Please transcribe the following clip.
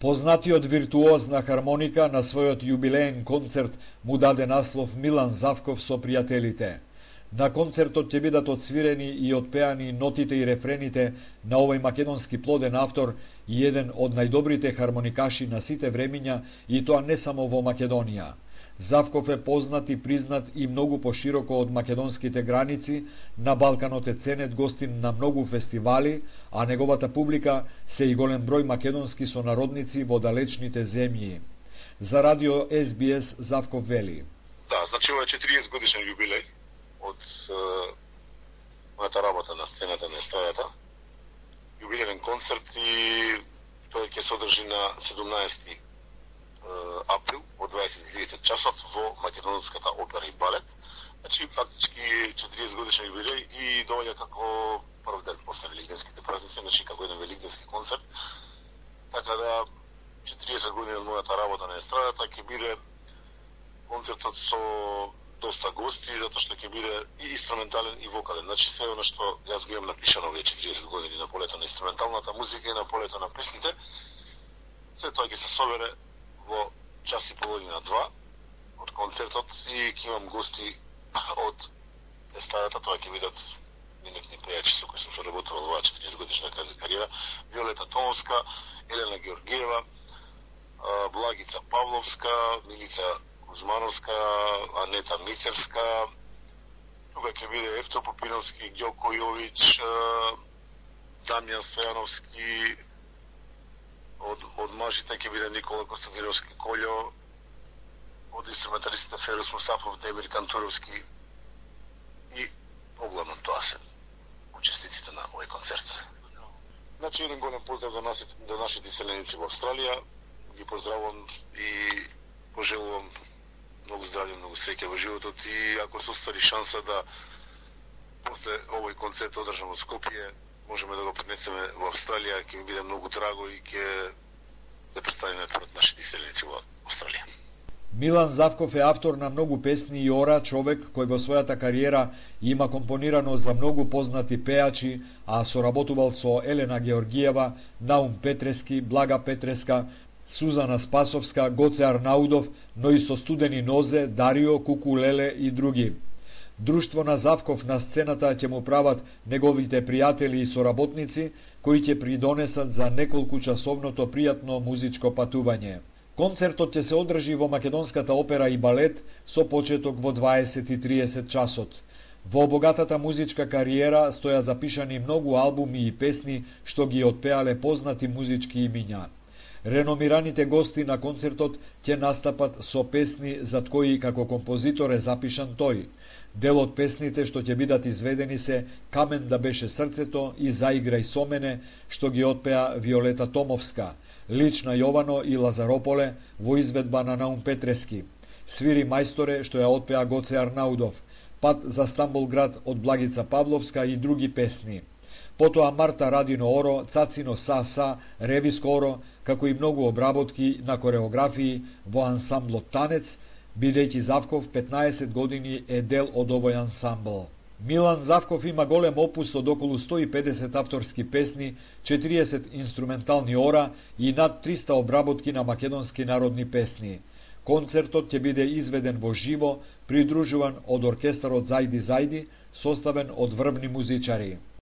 Познатиот виртуоз на хармоника на својот јубилеен концерт му даде наслов Милан Завков со пријателите. На концертот ќе бидат отсвирени и отпеани нотите и рефрените на овој македонски плоден автор и еден од најдобрите хармоникаши на сите времиња, и тоа не само во Македонија. Завков е познат и признат и многу пошироко од македонските граници. На Балканот е ценет гостин на многу фестивали, а неговата публика се и голем број македонски сонародници во далечните земји. За радио СБС Завков вели: Да, значи ова е 40 годишен јубилеј од мојата работа на сцената на естрадата. Јубилеен концерт, и тој ќе се одржи на 17 април од 20:30 часот во Македонската опера и балет. Значи фактички 40 годишен јубилеј и доаѓа како прв ден после великденските празници, значи како еден великденски концерт. Така да 40 години од мојата работа на естрадата ќе биде концертот со доста гости, затоа што ќе биде и инструментален и вокален. Значи све оно што јас го имам напишано овие 40 години на полето на инструменталната музика и на полето на песните, се тоа ќе се собере во час и половина, 2 од концертот, и ќе имам гости од естрадата. Тоа ќе бидат минатни пејачи со кои сум соработувал во 40 годишна кариера: Виолета Томовска, Елена Георгиева, Благица Павловска, Милица Кузмановска, Анета Мицевска. Тука ќе биде Евто Попиновски, Ѓоко Јович, Дамјан Стојановски. Од мажите ќе биде Никола Константиновски Колјо, од инструменталистите Ферус Мустафов, Демир Кантуровски, и поглавно тоа се учесниците на овој концерт. Значи еден голем поздрав до нашите иселеници во Австралија. Ги поздравувам и пожелувам многу здравје, многу среќа во животот, и ако се оствари шанса да после овој концерт одржам во Скопје, можеме да го пренесеме во Австралија, ќе ми биде многу драго и ќе се представиме пред нашите иселеници во Австралија. Милан Завков е автор на многу песни и ора, човек кој во својата кариера има компонирано за многу познати пејачи, а соработувал со Елена Георгиева, Наум Петрески, Блага Петреска, Сузана Спасовска, Гоце Арнаудов, но и со Студени Нозе, Дарио, Куку Леле и други. Друштво на Завков на сцената ќе му прават неговите пријатели и соработници, кои ќе придонесат за неколку часовното пријатно музичко патување. Концертот ќе се одржи во Македонската опера и балет со почеток во 20:30 часот. Во богатата музичка кариера стојат запишани многу албуми и песни што ги отпеале познати музички имиња. Реномираните гости на концертот ќе настапат со песни зад кои како композитор е запишан тој. Дел од песните што ќе бидат изведени се Камен да беше срцето и Заиграј со мене, што ги отпеа Виолета Томовска, Лична Јовано и Лазарополе во изведба на Наум Петрески, Свири мајсторе, што ја отпеа Гоце Арнаудов, Пат за Стамбулград од Благица Павловска и други песни. Потоа Марта Радино Оро, Цацино Са, Ревиско Оро, како и многу обработки на кореографии во ансамблот Танец, бидејќи Завков 15 години е дел од овој ансамбл. Милан Завков има голем опус од околу 150 авторски песни, 40 инструментални ора и над 300 обработки на македонски народни песни. Концертот ќе биде изведен во живо, придружуван од оркестарот Зајди Зајди, составен од врвни музичари.